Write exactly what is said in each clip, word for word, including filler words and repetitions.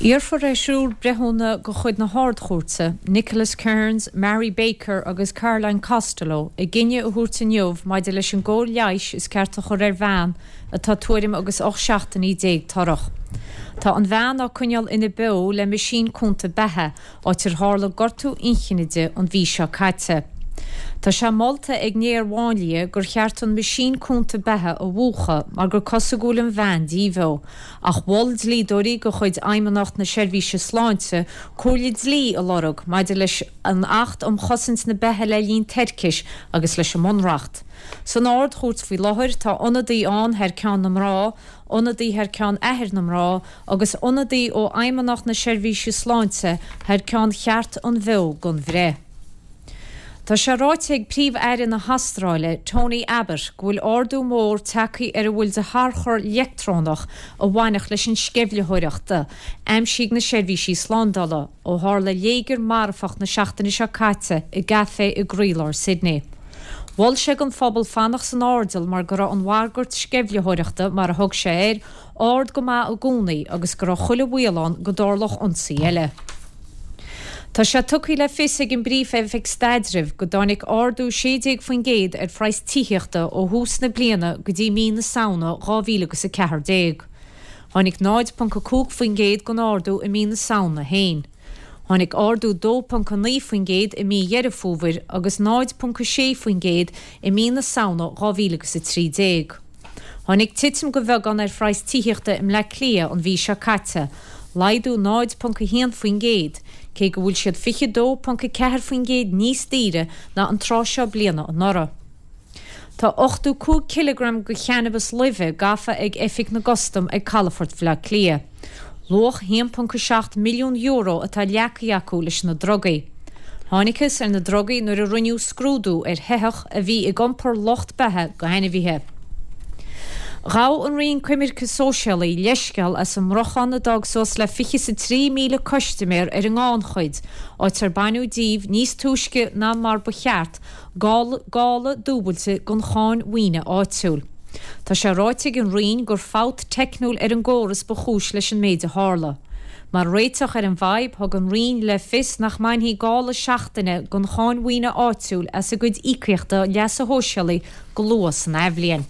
Iarrfar ar thriúr breithiúna de chuid na hArd-Chúirte, Nicholas Kearns, Mary Baker agus Caroline Costello, a gcinneadh a thabhairt inniu maidir leis an gcóir leighis is ceart a chur ar bhean atá tuairim agus ocht seachtainí déag torrach. Tá an bhean á coinneáil ina beo le meaisín cúnta beatha, áit ar tharla gortú inchinne di an mhí seo caite. Tá sé molta ag néar-mháinlia gur cheart an meaisín cúnta beatha a mhúchadh mar gur cosúil go bhfuil an bhean díbheo, ach mhol dlíodóirí de chuid Fheidhmeannacht na Seirbhíse Sláinte comhairle dlí a lorg maidir leis an Acht um Chosaint na Beatha le linn Toirchis agus leis an mBunreacht. San Ard-Chúirt faoi láthair tá ionadaí ann thar ceann na mná, ionadaí thar ceann athair na mná, agus ionadaí ó Fheidhmeannacht na Seirbhíse Sláinte thar ceann cheart an bheo don bhreith. Tá sé ráite ag Príomh-Aire na hAstráile, Tony Abbott, go bhfuil ardú mór tagtha ar a bhfuil de tharchur leictreonach a bhainfeadh leis an sceimhlitheoireacht, aimsíodh na seirbhísí slándála, ó tharla léigear marfach na seachtaine seo caite i gcaifé i gcroílár Sydney. Mhol sé don phobal fanacht san airdeall mar go raibh an bhagairt sceimhlitheoireachta mar a thug sé air, ard go maith i gcónaí agus go raibh chuile bhaol ann go dtarlódh ionsaí eile. Tá sé tugtha le fios ag an bPríomh-Oifig Staidrimh go dtáinig ardú sé déag faoin gcéad ar phraghas tithíochta ó thús na bliana go dtí mí na Samhna dhá mhíle agus a ceathair déag. Tháinig náid ponc a cúig faoin gcéad den ardú i mí na Samhna féin. Tháinig ardú dó ponc a naoi faoin gcéad i mí Dheireadh Fómhair agus náid ponc a sé faoin gcéad i mí na Samhna dhá mhíle agus a trí déag. Tháinig titim de bheagán ar phraghas tithíochta i mBleá Cliath an mhí seo caite, laghdú náid ponc a haon faoin gcéad, cé go bhfuil siad fiche dó ponc a ceathair faoin gcéad níos daoire ná an tráth seo bliana anuraidh. Tá ochtó cúig cileagram de channabas luibhe gafa ag Oifig na gCustam ag Calafort Bhaile Átha Cliath. Luach haon ponc a seacht milliún euro atá leagtha acu leis na drugaí. Thángthas ar na drugaí nuair a rinneadh scrúdú ar shoitheach a bhí ag iompar lucht beatha go hainmhithe. Ghabh an Roinn Coimirce Sóisialaí leithscéal as an mbriochán a d'fhág suas le fiche is a trí míle custaiméir ar an ngannchuid, áit ar baineadh díobh níos túisce ná mar ba cheart, gála dúbailte den cháin mhaoine áitiúil. Tá sé ráite ag an Roinn gur fabht teicniúil ar an gcóras ba chúis leis an méid a tharla. Mar réiteach ar an bhfadhb, thug an Roinn le fios nach mbainfí gála seachtaine den cháin mhaoine áitiúil as a gcuid íocaíochta leasa shóisialaigh go luath san athbhliain.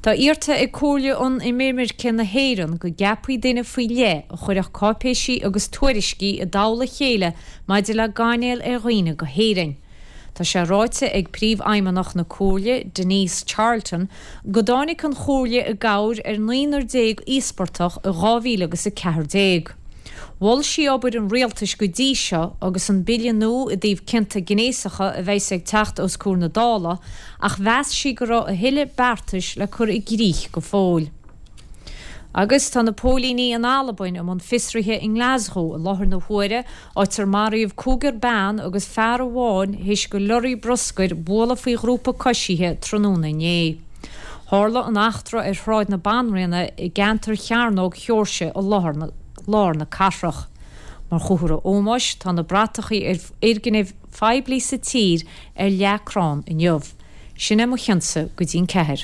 Tá iarrta ag Comhairle um Inimirce na hÉireann go gceapfaí duine faoi leith a chuirfeadh cáipéisí agus tuairiscí i dtoll a chéile maidir le gáinneáil ar dhaoine go hÉirinn. Tá sé ráite ag Príomhfheidhmeannach na Comhairle, Denise Charlton, go dtáinig an Chomhairle i gcabhair ar naonúr déag íospartach i dhá mhíle agus a ceathair déag. Mhol sí obair an rialtais go dtí seo agus an bille nua i dtaobh cionta gnéasacha a bheas ag teacht os comhair na Dála, ach mheas sí go raibh a thuilleadh beartais le cur i gcrích go fóill. Agus tá na póilíní in Albain i mbun fiosraithe i nGlaschú i láthair na huaire, áit ar maraíodh cúigear bean agus fear amháin théis do lorry bruscair bualadh faoi ghrúpa coisithe tráthnóna inné. Tharla an eachtra ar Shráid na Banríona i gceantar Chearnóg Sheoirse i láthair na lár na cathrach. Mar chomhartha ómóis, tá na bratachaí ar fhoirgnimh phoiblí sa tír ar leathchrann inniu. Sin é mo chionsa go dtí an ceathair.